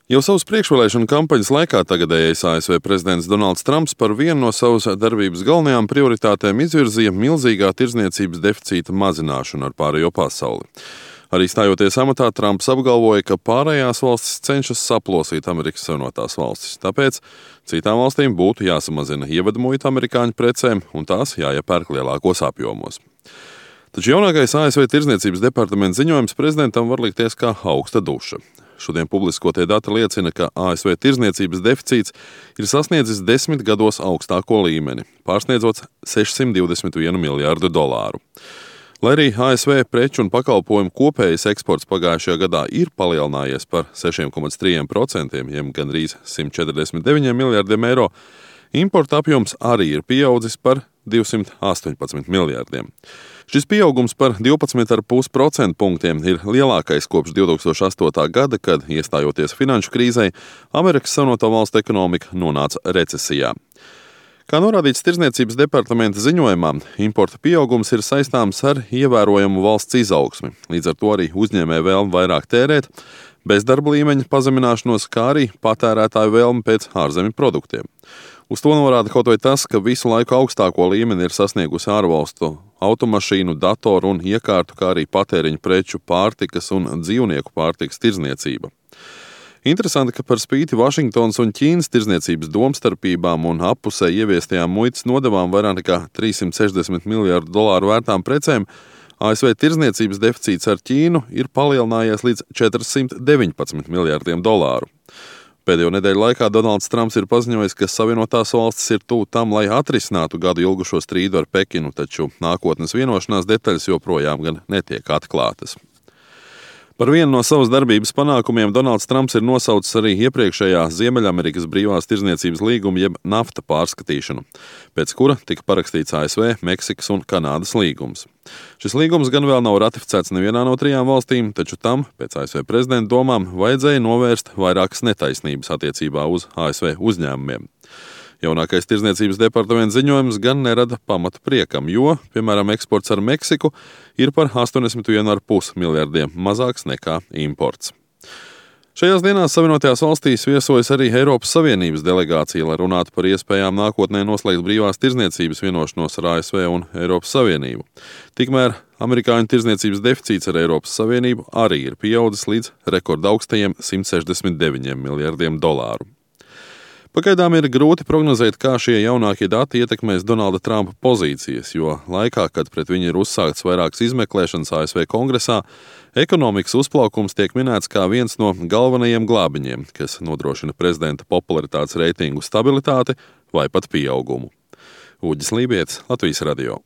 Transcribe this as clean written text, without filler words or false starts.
Jau savas priekšvēlēšanu kampaņas laikā tagadējais ASV prezidents Donalds Trumps par vienu no savas darbības galvenajām prioritātēm izvirzīja milzīgā tirdzniecības deficīta mazināšanu ar pārējo pasauli. Arī stājoties amatā, Trumps apgalvoja, ka pārējās valstis cenšas saplosīt Amerikas Savienotās valstis. Tāpēc citām valstīm būtu jāsamazina ievedmuita amerikāņu precēm un tās jāiepērk lielākos apjomos. Taču jaunākais ASV tirdzniecības departamenta ziņojums prezidentam var likties kā augsta duša. Šodien publiskotie dati liecina, ka ASV tirdzniecības deficīts ir sasniedzis 10 gados augstāko līmeni, pārsniedzot $621 miljārdu. Lai arī ASV preču un pakalpojumu kopējais eksports pagājušajā gadā ir palielinājies par 6,3%, jeb gandrīz $149 miljārdiem eiro, importa apjoms arī ir pieaudzis par 218 miljārdiem. Šis pieaugums par 12,5% punktiem ir lielākais kopš 2008. gada, kad, iestājoties finanšu krīzei, Amerikas Savienoto Valstu ekonomika nonāca recesijā. Kā norādīts Tirdzniecības departamenta ziņojumā, importa pieaugums ir saistāms ar ievērojamu valsts izaugsmi, līdz ar to arī uzņēmēju vēlmi vairāk tērēt, bezdarba līmeņa pazemināšanos, kā arī patērētāju vēlmi pēc ārzemju produktiem. Uz to norāda kaut vai tas, ka visu laiku augstāko līmeni ir sasniegusi ārvalstu automašīnu, datoru un iekārtu, kā arī patēriņu preču, pārtikas un dzīvnieku pārtikas tirdzniecība. Interesanti, ka par spīti Vašingtonas un Ķīnas tirdzniecības domstarpībām un appusē ieviestajām muitas nodevām vairāk nekā $360 miljārdu vērtām precēm, ASV tirdzniecības deficīts ar Ķīnu ir palielinājies līdz $419 miljārdiem. Pēdējo nedēļu laikā Donalds Trumps ir paziņojis, ka Savienotās valstis ir tuvu tam, lai atrisinātu gadu ilgušo strīdu ar Pekinu, taču nākotnes vienošanās detaļas joprojām gan netiek atklātas. Par vienu no savas darbības panākumiem Donalds Trumps ir nosaucis arī iepriekšējā Ziemeļamerikas brīvās tirdzniecības līguma jeb NAFTA pārskatīšanu, pēc kura tika parakstīts ASV, Meksikas un Kanādas līgums. Šis līgums gan vēl nav ratificēts nevienā no 3 valstīm, taču tam, pēc ASV prezidenta domām, vajadzēja novērst vairākas netaisnības attiecībā uz ASV uzņēmumiem. Jaunākais Tirdzniecības departamenta ziņojums gan nerada pamatu priekam, jo, piemēram, eksports ar Meksiku ir par 81,5 miljardiem mazāks nekā imports. Šajās dienās Savienotajās valstīs viesojas arī Eiropas Savienības delegācija, lai runātu par iespējām nākotnē noslēgt brīvās tirdzniecības vienošanos ar ASV un Eiropas Savienību. Tikmēr amerikāņu tirdzniecības deficīts ar Eiropas Savienību arī ir pieaudzis līdz rekordaugstajiem $169 miljardiem. Pagaidām ir grūti prognozēt, kā šie jaunākie dati ietekmēs Donalda Trumpa pozīcijas, jo laikā, kad pret viņu ir uzsākts vairākas izmeklēšanas ASV Kongresā, ekonomikas uzplaukums tiek minēts kā viens no galvenajiem glābiņiem, kas nodrošina prezidenta popularitātes reitingu stabilitāti vai pat pieaugumu. Uģis Lībietis, Latvijas radio.